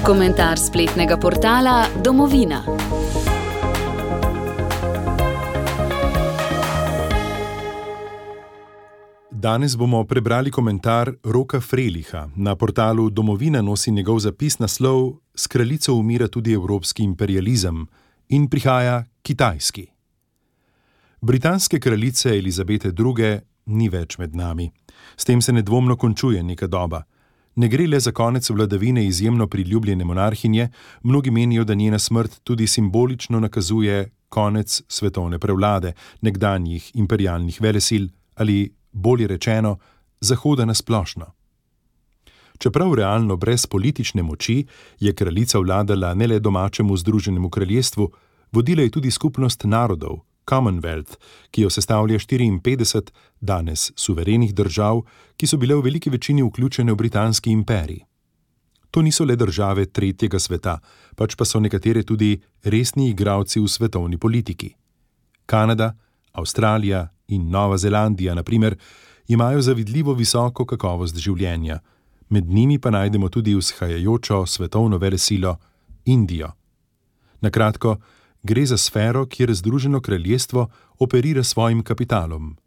Komentar spletnega portala Domovina. Danes bomo prebrali komentar Roka Freliha. Na portalu Domovina nosi njegov zapis naslov S kraljico umira tudi evropski imperializem in prihaja kitajski. Britanske kraljice Elizabete II. Ni več med nami. S tem se nedvomno končuje neka doba. Ne gre le za konec vladavine izjemno priljubljene monarhinje, mnogi menijo, da njena smrt tudi simbolično nakazuje konec svetovne prevlade nekdanjih imperialnih velesil ali, bolje rečeno, Zahoda na splošno. Čeprav realno brez politične moči, je kraljica vladala ne le domačemu Združenemu kraljestvu, vodila je tudi skupnost narodov, Commonwealth, ki jo sestavlja 54 danes suverenih držav, ki so bile v veliki večini vključene v britanski imperij. To niso le države tretjega sveta, pač pa so nekatere tudi resni igralci v svetovni politiki. Kanada, Avstralija in Nova Zelandija, na primer, imajo zavidljivo visoko kakovost življenja, med njimi pa najdemo tudi vzhajajočo svetovno velesilo Indijo. Na kratko, gre za sfero, kjer Združeno kraljestvo operira svojim kapitalom.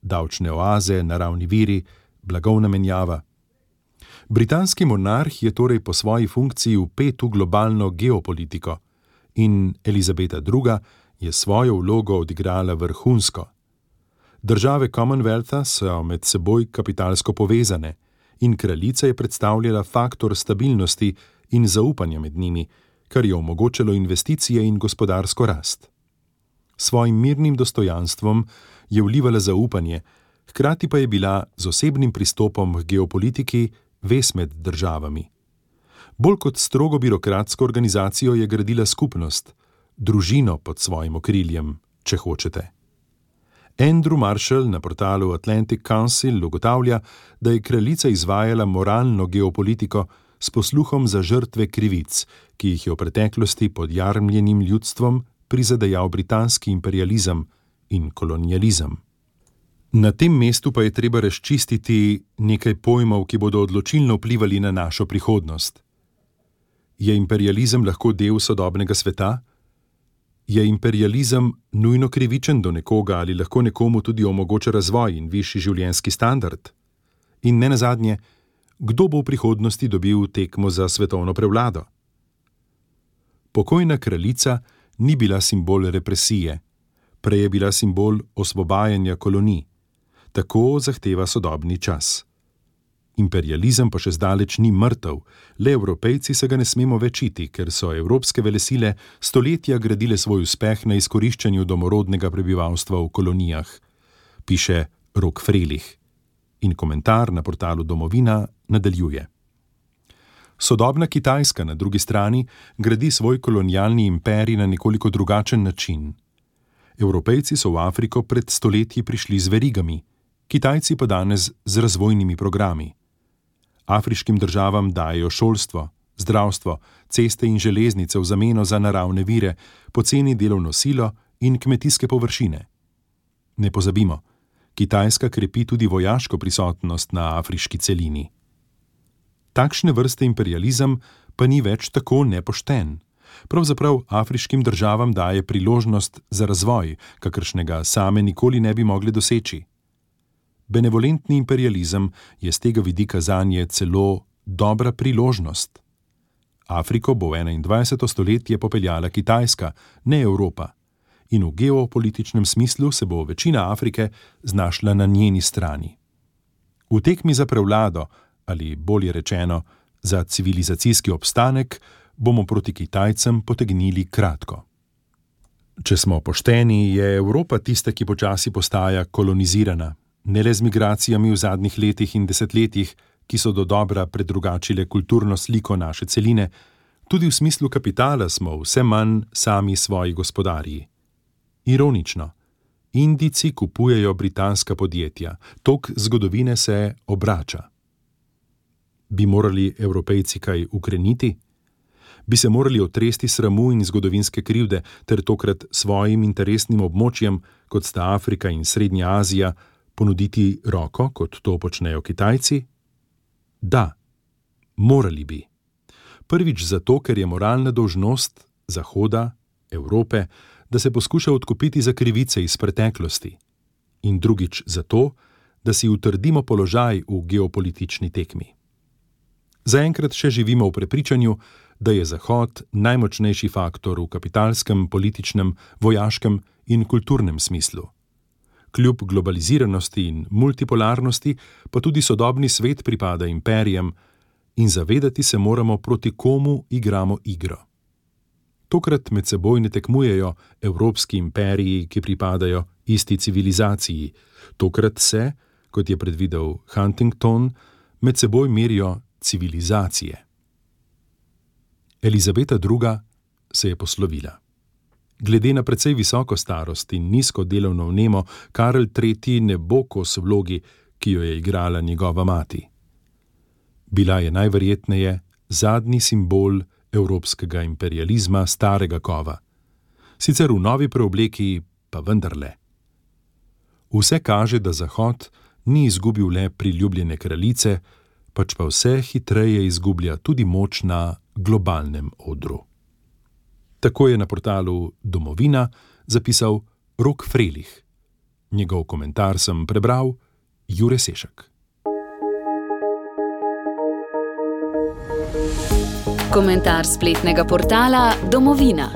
Davčne oaze, naravni viri, blagovna menjava. Britanski monarh je torej po svoji funkciji vpet v globalno geopolitiko in Elizabeta II. Je svojo vlogo odigrala vrhunsko. Države Commonwealtha so med seboj kapitalsko povezane in kraljica je predstavljala faktor stabilnosti in zaupanja med njimi, kar je omogočalo investicije in gospodarsko rast. Svojim mirnim dostojanstvom je vlivala zaupanje, hkrati pa je bila z osebnim pristopom k geopolitiki vez med državami. Bolj kot strogo birokratsko organizacijo je gradila skupnost, družino pod svojim okriljem, če hočete. Andrew Marshall na portalu Atlantic Council ugotavlja, da je kraljica izvajala moralno geopolitiko s posluhom za žrtve krivic, ki jih je v preteklosti pod jarmljenim ljudstvom prizadejal britanski imperializem in kolonializem. Na tem mestu pa je treba razčistiti nekaj pojmov, ki bodo odločilno vplivali na našo prihodnost. Je imperializem lahko del sodobnega sveta? Je imperializem nujno krivičen do nekoga ali lahko nekomu tudi omogoča razvoj in višji življenjski standard? In nenazadnje, kdo bo v prihodnosti dobil tekmo za svetovno prevlado? Pokojna kraljica ni bila simbol represije, prej je bila simbol osvobajanja kolonij. Tako zahteva sodobni čas. Imperializem pa še zdaleč ni mrtev, le Evropejci se ga ne smemo večiti, ker so evropske velesile stoletja gradile svoj uspeh na izkoriščanju domorodnega prebivalstva v kolonijah, piše Rok Frelih. In komentar na portalu Domovina nadaljuje. Sodobna Kitajska na drugi strani gradi svoj kolonialni imperij na nekoliko drugačen način. Evropejci so v Afriko pred stoletji prišli z verigami, Kitajci pa danes z razvojnimi programi. Afriškim državam dajejo šolstvo, zdravstvo, ceste in železnice v zameno za naravne vire, poceni delovno silo in kmetijske površine. Ne pozabimo, Kitajska krepi tudi vojaško prisotnost na afriški celini. Takšne vrste imperializem pa ni več tako nepošten. Pravzaprav afriškim državam daje priložnost za razvoj, kakršnega same nikoli ne bi mogli doseči. Benevolentni imperializem je z tega vidika zanje celo dobra priložnost. Afriko bo v 21. stoletje popeljala Kitajska, ne Evropa. In v geopolitičnem smislu se bo večina Afrike znašla na njeni strani. V tekmi za prevlado, ali bolje rečeno, za civilizacijski obstanek, bomo proti Kitajcem potegnili kratko. Če smo pošteni, je Evropa tista, ki počasi postaja kolonizirana, ne le z migracijami v zadnjih letih in desetletjih, ki so dodobra predrugačile kulturno sliko naše celine, tudi v smislu kapitala smo vse manj sami svoji gospodarji. Ironično, Indijci kupujejo britanska podjetja, tok zgodovine se obrača. Bi morali Evropejci kaj ukreniti? Bi se morali otresti sramu in zgodovinske krivde ter tokrat svojim interesnim območjem, kot sta Afrika in Srednja Azija, ponuditi roko, kot to počnejo Kitajci? Da, morali bi. Prvič zato, ker je moralna dolžnost Zahoda, Evrope, da se poskuša odkupiti za krivice iz preteklosti. In drugič zato, da si utrdimo položaj v geopolitični tekmi. Zaenkrat še živimo v prepričanju, da je Zahod najmočnejši faktor v kapitalskem, političnem, vojaškem in kulturnem smislu. Kljub globaliziranosti in multipolarnosti pa tudi sodobni svet pripada imperijem in zavedati se moramo, proti komu igramo igro. Tokrat med seboj ne tekmujejo evropski imperiji, ki pripadajo isti civilizaciji. Tokrat se, kot je predvidel Huntington, med seboj merijo civilizacije. Elizabeta II. Se je poslovila. Glede na precej visoko starost in nizko delovno vnemo, Karel III. Ne bo kos vlogi, ki jo je igrala njegova mati. Bila je najverjetneje zadnji simbol evropskega imperializma starega kova. Sicer v novi preobleki, pa vendarle. Vse kaže, da Zahod ni izgubil le priljubljene kraljice, pač pa vse hitreje izgublja tudi moč na globalnem odru. Tako je na portalu Domovina zapisal Rok Frelih. Njegov komentar sem prebral Jure Sešak. Komentar spletnega portala Domovina.